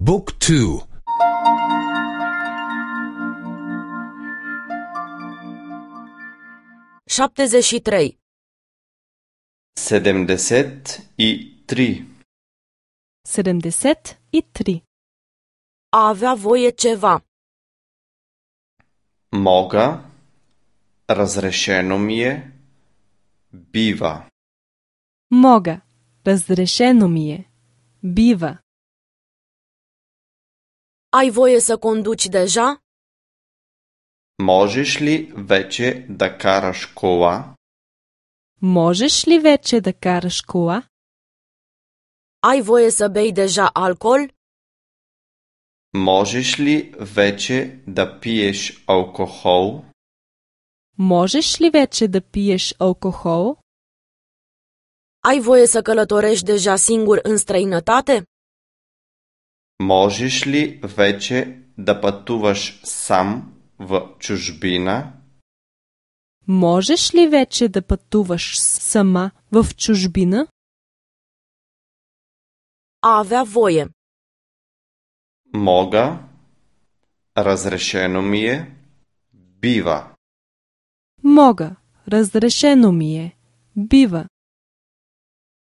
Book 2. 73. 73. 73. A avea voie ceva. Мога, разрешено ми е, бива. Мога. Разрешено ми е. Бива. Ai voie să conduci deja? Можеш ли вече да караш кола? Можеш ли вече да караш кола? Ai voie să bei deja alcool? Можеш ли вече да пиеш алкохол? Можеш ли вече да пиеш алкохол? Ai voie să călătorești deja singur în străinătate? Можеш ли вече да пътуваш сам в чужбина? Можеш ли вече да пътуваш сама в чужбина? A avea voie. Мога, разрешено ми е, бива. Мога. Разрешено ми е. Бива.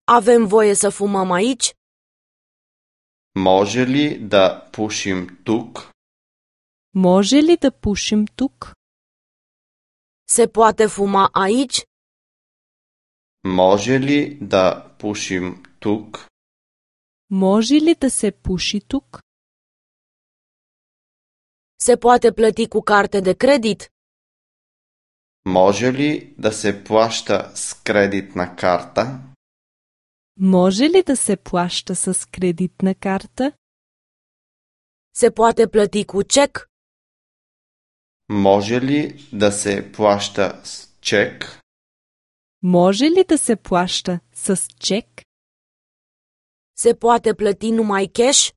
Avem voie să fumăm aici? Може ли да пушим тук? Може ли да пушим тук? Se poate fuma aici? Може ли да пушим тук? Може ли да се пуши тук? Se poate plăti cu carte de credit? Може ли да се плаща с кредитна карта? Може ли да се плаща с кредитна карта? Se poate plăti cu cec? Може ли да се плаща с чек? Може ли да се плаща с чек? Se poate plăti numai cash?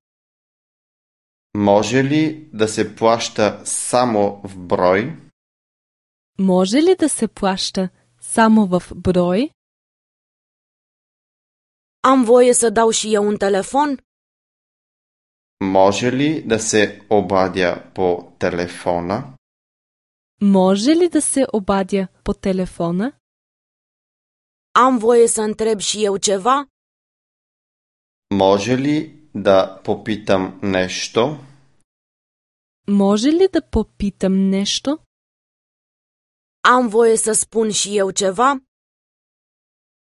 Може ли да се плаща само в брой? Може ли да се плаща само в брой? Am voie să dau și eu un telefon? Може ли да се обадя по телефона? Може ли да се обадя по телефона? Am voie să întreb și eu ceva? Може ли да попитам нещо? Може ли да попитам нещо? Am voie să spun și eu ceva?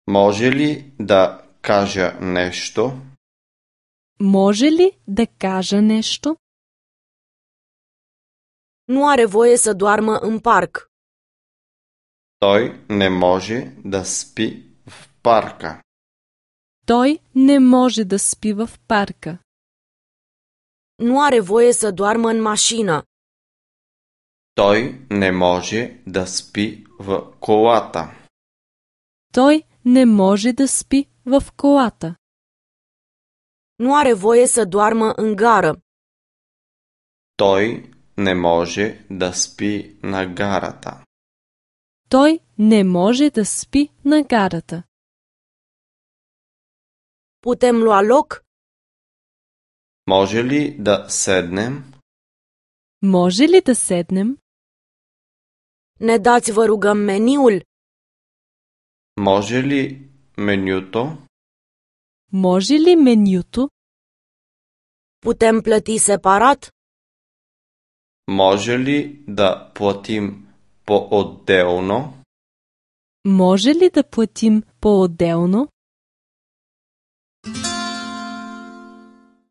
Може ли да кажа нещо? Може ли да кажа нещо? Nu are voie să doarmă în parc. Той не може да спи в парка. Той не може да спи в парка. Nu are voie să doarmă în mașină. Той не може да спи в колата. Той не може да спи в колата. Nu are voie să doarmă în gară. Той не може да спи на гарата. Той не може да спи на гарата. Putem lua loc? Може ли да седнем? Може ли да седнем? Ne dați, vă rugăm, meniul? Може ли менюто? Може ли менюто? Putem plăti separat? Може ли да платим по-отделно? Може ли да платим по-отделно?